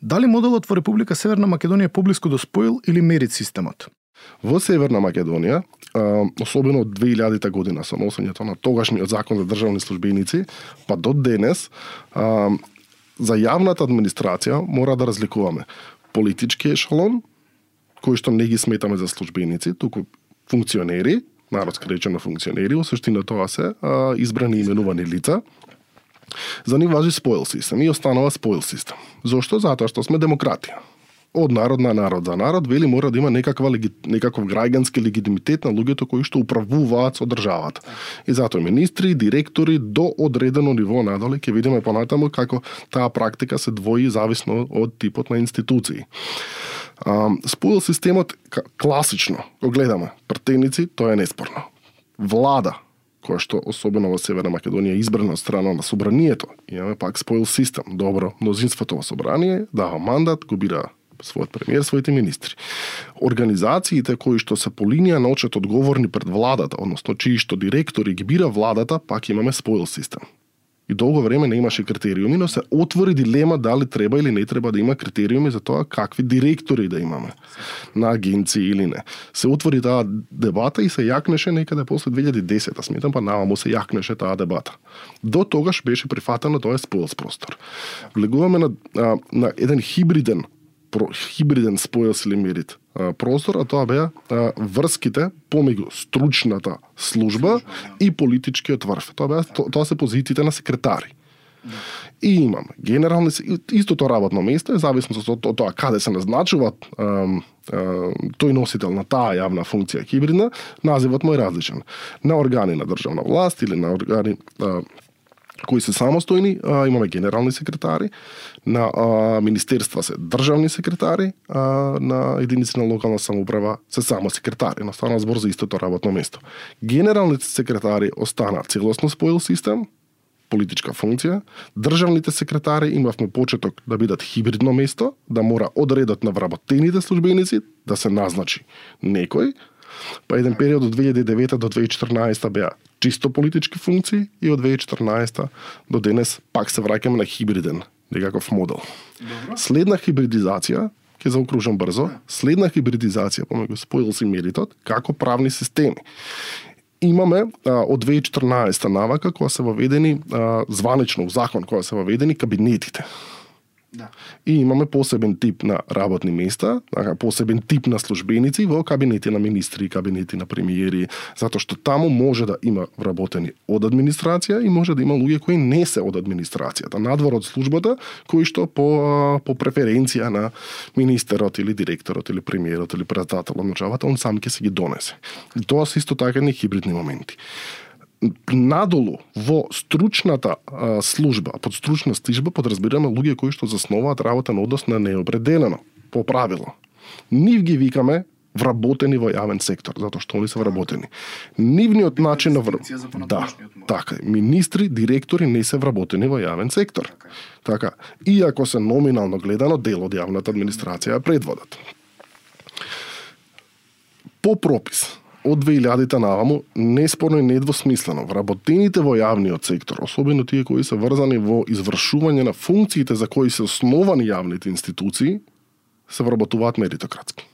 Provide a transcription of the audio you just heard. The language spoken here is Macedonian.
Дали моделот во Република Северна Македонија е поблиску до споил или мерит системот? Во Северна Македонија, особено од 2000 година со носењето на тогашниот закон за државни службеници, па до денес, за јавната администрација мора да разликуваме политички ешелон, кои што не ги сметаме за службеници, туку функционери, народски речено функционери, во суштина тоа се избрани и именувани лица. За нив важи споил систем и останува споил систем. Зошто? Затоа што сме демократија. Од народ на народ за народ, вели мора да има некаков граѓански легитимитет на луѓето кои што управуваат со државата. И затоа министри, директори до одредено ниво надоле ќе видиме понатаму како таа практика се двои зависно од типот на институции. Споил системот класично, го гледаме, претеници, тоа е неспорно. Влада, која што особено во Северна Македонија избрана од страна на собранието, имаме пак споил систем. Добро, мнозинството во собрание дава мандат, го бира својот премиер, своите министри. Организациите кои што се по линија на очет одговорни пред владата, односно чии што директори ги бира владата, пак имаме споил систем. И долго време не имаше критериуми, но се отвори дилема дали треба или не треба да има критериуми за тоа какви директори да имаме на агенции или не. Се отвори таа дебата и се јакнеше некаде после 2010, сметам, па наваму се јакнеше таа дебата. До тогаш беше прифатено тоа е споил простор. Влегуваме на еден хибриден споил или мерит простор, а тоа беа врските помеѓу стручната служба и политичкиот врв. Тоа се позициите на секретари. И имаме генерални, истото работно место е зависно од тоа каде се назначуваат тој носител на таа јавна функција хибридна, називот му е различен. На органи на државна власт или на органи кои се самостојни, имаме генерални секретари, на министерства се државни секретари, на единици на локална самоуправа се само секретари, настанува збор за истото работно место. Генералните секретари остана целосно споил систем, политичка функција, државните секретари имавме почеток да бидат хибридно место, да мора одредот на вработените службеници да се назначи некој, па еден период од 2009 до 2014 беа чисто политички функции и од 2014 до денес пак се враќаме на хибриден некаков модел. Добро. Следна хибридизација, ќе заокружам брзо, следна хибридизација помеѓу споил и меритот како правни системи. Имаме од 2014 навака кога се воведени званично в закон кога се воведени кабинетите. Да. И имаме посебен тип на работни места, посебен тип на службеници во кабинети на министри, кабинети на премиери, затоа што таму може да има вработени од администрација и може да има луѓе кои не се од администрацијата, надвор од службата, кои што по преференција на министерот или директорот или премиерот или председателот на државата, он сам ќе се ги донесе. И тоа се исто така едни хибридни моменти. Надолу во стручната служба, под стручна служба подразбираме луѓе кои што заснуваат работа на однос на неопределено по правило. Нив ги викаме вработени во јавен сектор, затоа што они се вработени. Нивниот начин на така, министри, директори не се вработени во јавен сектор. Така, иако се номинално гледано дел од јавната администрација предводат. По пропис од 2000-та наваму, неспорно и недвосмислено, вработените во јавниот сектор, особено тие кои се врзани во извршување на функциите за кои се основани јавните институции, се вработуваат меритократски.